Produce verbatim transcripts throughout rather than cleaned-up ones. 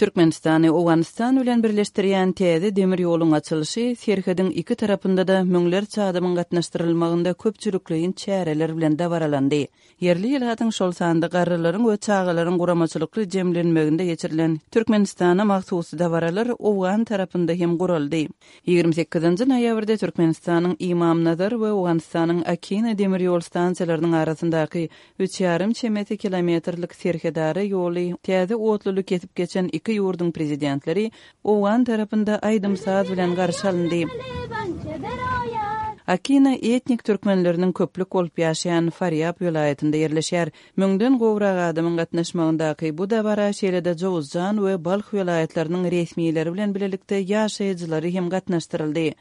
Türkmenistany Owganystan bilen birleşdirýän täze demir ýoluň açylyşy serhediň iki tarapynda-da müňlerçe adamyň gatnaşdyrylmagynda köpçülikleýin çäreler bilen dabaralandy. Ýerli ilatyň, şol sanda garrylaryň we çagalaryň guramaçylykly jemlenmeginde geçirilen Türkmenistana mahsus dabaralar owgan tarapynda hem guraldy. Ýigrimi sekizinji noýabrda Türkmenistanyň Ymamnazar we Owganystanyň Akina demir ýol stansiýalarynyň arasyndaky üç ýarym çemesi kilometrlik serhedara ýoly täze otluly kesip geçen iki ýurduň prezidentleri owgan tarapynda aýdym-saz bilen garşy alyndy. Akina etnik türkmenleriniň köplük bolup ýaşaýan Farýab welaýatynda ýerleşýär. Müňden gowrak adamyň gatnaşmagyndaky bu dabara şeýle-de Jowuzjan we Balh welaýatlarynyň resmileri bilen bilelikde ýaşaýjylary hem gatnaşdyryldy.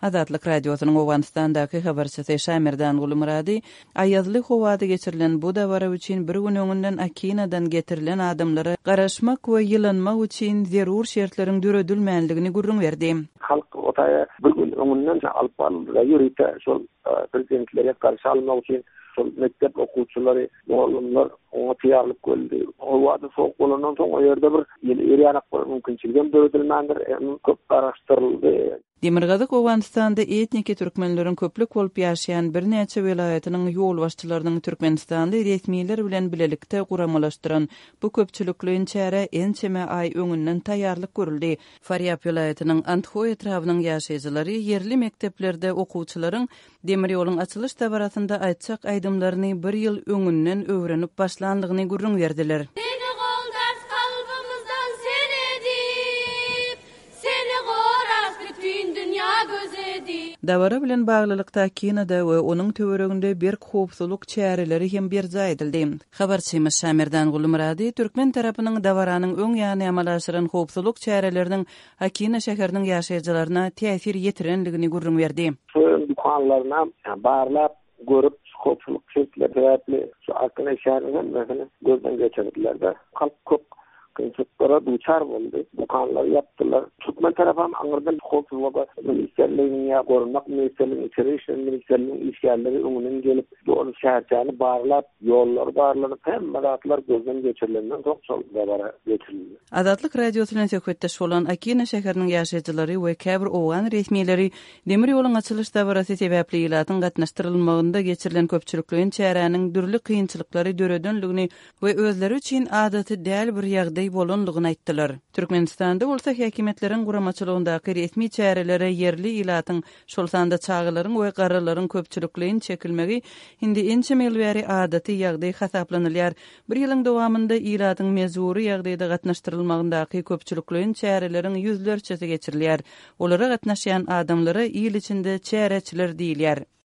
Azatlyk Radiosynyň Owganystandaky habarçysy Şamerdan Gulumyrady aýazly howada geçirilen bu dabara üçin bir gün öňünden Akinadan getirilen adamlara garaşmak we ýylanmak üçin zerur şertleriň döredilmändigini gürrüň berdi. Halk o taýa bir gün öňünden alyp baryldy-da, ýörite şol prezidentleri garşy almak üçin şol mekdep okuwçylary, mugallymlar oňa taýýarlyk görüldi. Howada sowuk bolandan soň o ýerde bir ýyly ýer ýanak bir mümkinçilik hem döredilmändir, hem köp garaşdyryldy. Demirgazyk Owganystanda etniki türkmenleriň köplük bolup ýaşaýan birnäçe welaýatynyň ýolbaşçylarynyň türkmenistanly resmiler bilen bilelikde guramalaşdyran bu köpçülikleýin çärä ençeme aý öňünden taýýarlyk görüldi. Farýab welaýatynyň Andhoý etrabynyň ýaşaýjylary ýerli mekdeplerde okuwçylaryň demir ýoluň açylyş dabarasynda aýtjak aýdymlaryny bir ýyl öňünden öwrenip başlandygyny gürrüň berdiler. Seni goldar kalbymyzdan seredip, seni gorar bütün dünýä göz edip. Dabara bilen baglylykda Akinada we onuň töwereginde berk howpsuzlyk çäreleri hem berjaý edildi. Habarçymyz Şamerdan Gulumyrady türkmen tarapynyň dabaranyň öň ýany amala aşyran howpsuzlyk çäreleriniň Akina şäheriniň ýaşaýjylaryna täsir ýetirendigini gürrüň berdi. Şu dükanlaryna barlap görüp howpsuzlyk şertleri sebäpli şu Akina şäheriniň hemmesini gözden geçirdiler-de. Halk köp kynçylyklara duçar boldy. Dükanlary ýapdylar. Türkmen tarapam aňyrdan howpsuzlyk ministrliginiň ýa goranmak ministrliginiň, içeri işler ministrliginiň işgärleri öňünden gelip, doly şäherçäni barlap, ýollary barlanyp, hemme zatlar gözden geçirilenden soň şol dabara geçirildi. Azatlyk Radiosy bilen söhbetdeş bolan Akina şäheriniň ýaşaýjylary we käbir owgan resmileri demir ýoluň açylyş dabarasy sebäpli ilatyň gatnaşdyrylmagynda geçirilen köpçülikleýin çäräniň dürli kynçylyklary döredenligini we özleri üçin adaty däl bir ýagdaý bolandygyny aýtdylar. Türkmenistanda bolsa häkimiýetleriň guramaçylygyndaky resmi çärelere ýerli ilatyň, şol sanda çagalaryň we garrylaryň köpçülikleýin çekilmegi indi ençeme ýyl bäri adaty ýagdaý hasaplanylýar. Bir ýylyň dowamynda ilatyň mejbury ýagdaýda gatnaşdyrylmagyndaky köpçülikleýin çäreleriň ýüzlerçesi geçirilýär. Olara gatnaşýan adamlara il içinde çäreçiler diýilýär.